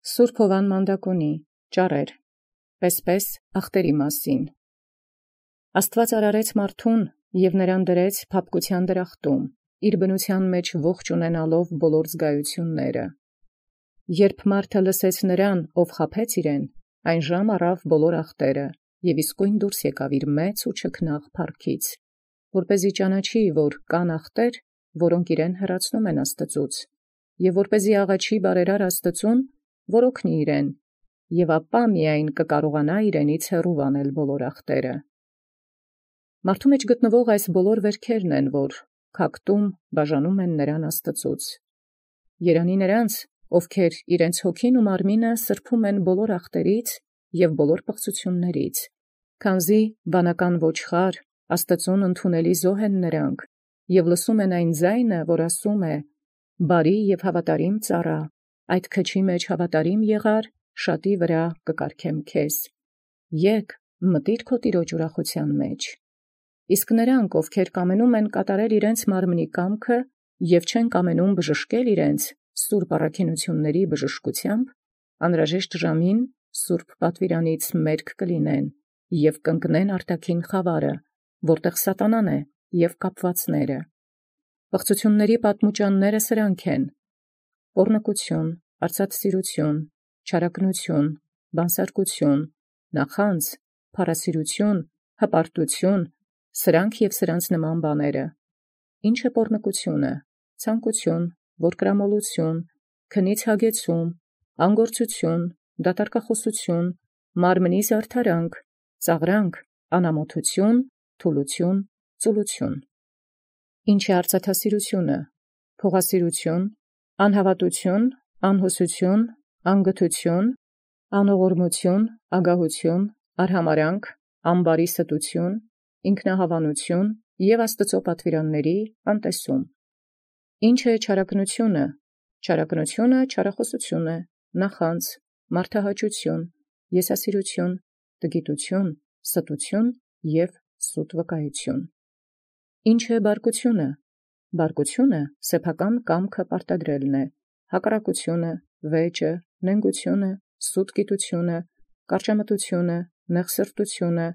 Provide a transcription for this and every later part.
Սուրբ Հովան Մանդակոնի ճառեր, պես ախտերի մասին։ Աստված արարեց մարդուն և նրան դրեց փափկության դրախտում, իր բնության մեջ ողջ ունենալով բոլոր զգայությունները։ Երբ մարդը լսեց նրան, ով խաբեց իրեն, այն ժամ առավ բոլոր ախտերը, և իսկույն դուրս եկավ իր մեծ ու չքնաղ փառքից, որպեսզի ճանաչի, որ կան ախտեր, որոնք իրեն հեռացնում են Աստծուց, և որպեսզի աղաչի բարերար Աստծուն, որ օգնի իրեն, և ապա միայն կկարողանա իրենից հեռու վանել բոլոր ախտերը։ Մարդու մեջ գտնվող այս բոլոր վերքերն են, որ քակտում բաժանում են նրան Աստծուց։ Երանի նրանց, ովքեր իրենց հոգին ու մարմինը սրբում են բոլոր ախտերից և բոլոր պղծություններից, քանզի վանական ոչխար Աստծուն ընդունելի զոհ են նրանք, և լսում են այն ձայնը, որ ասում է. «Բարի և հավատարիմ ծառա, այդ քչի մեջ հավատարիմ եղար, շատի վրա կկարգեմ քեզ. եկ մտիր քո տիրոջ ուրախության մեջ»։ Իսկ նրանք, ովքեր կամենում են կատարել իրենց մարմնի կամքը և չեն կամենում բժշկել իրենց սուրբ առաքինությունների բժշկությամբ, անհրաժեշտ ժամին սուրբ պատվիրանից մերկ կլինեն և կընկնեն արտաքին խավարը, որտեղ սատանան է և կապվածները։ Պղծությունների պատմուճանները սրանք են. պոռնկություն, արծաթսիրություն, չարագնություն, բանսարկություն, նախանձ, փառասիրություն, հպարտություն, սրանք և սրանց նման բաները։ Ինչ է պոռնկությունը? Ցանկություն, որկրամոլություն, քնից հագեցում, անգործություն, դատարկախոսություն, մարմնի զարդարանք, ծաղրանք, անամոթություն, թուլություն, ծուլություն։ Ինչ է արծաթասիրությունը? Փողասիրություն, անհավատություն, անհուսություն, անգթություն, անողորմություն, ագահություն, արհամարհանք, ամբարի ստություն, ինքնահավանություն և Աստծո պատվիրանների անտեսում։ Ինչ է չարագնությունը? Չարագնությունը չարախոսություն է, նախանձ, մարդահաճություն, եսասիրություն, տգիտություն, ստություն և սուտ վկայություն։ Ինչ է բարկությունը? Բարկությունը սեփական կամքը պարտադրելն է, հակառակությունը, վեճը, նենգությունը, սուտ գիտությունը, կարճամտությունը, նեղսրտությունը,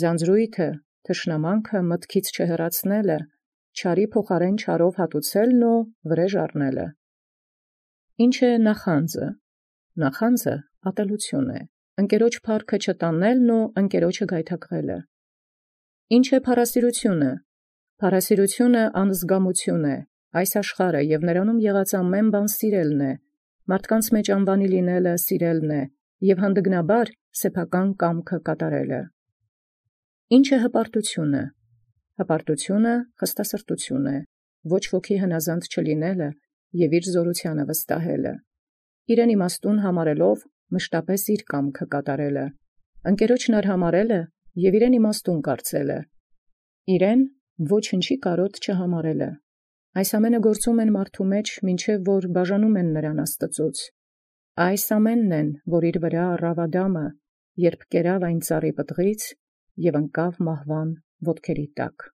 ձանձրույթը, թշնամանքը մտքից չհեռացնելը, չարի փոխարեն չարով հատուցելն ու վրեժ առնելը։ Ինչ է նախանձը? Նախանձը ատելություն է, ընկերոջ փառքը չտանելն ու ընկերոջը գայթակղելը։ Ինչ է փառասիրությունը? Փառասիրությունը անզգամություն է, այս աշխարհը և նրանում եղած ամեն բան սիրելն է, մարդկանց մեջ անվանի լինելը սիրելն է և հանդգնաբար սեփական կամքը կատարելը։ Ինչ է հպարտությունը? Հպարտությունը խստասրտություն է, ոչ ոքի հնազանդ չլինելը և իր զորությանը վստահելը, իրեն իմաստուն համարելով մշտապես իր կամքը կատարելը, ընկերոջն արհամարհելը և իրեն իմաստուն կարծելը, իրեն ոչնչի կարոտ չհամարելը։ Այս ամենը գործում են մարդու մեջ, մինչև որ բաժանում են նրան Աստծուց։ Այս ամենն են, որ իր վրա առավ Ադամը, երբ կերավ այն ծառի պտղից և ընկավ մահվան ոտքերի տակ։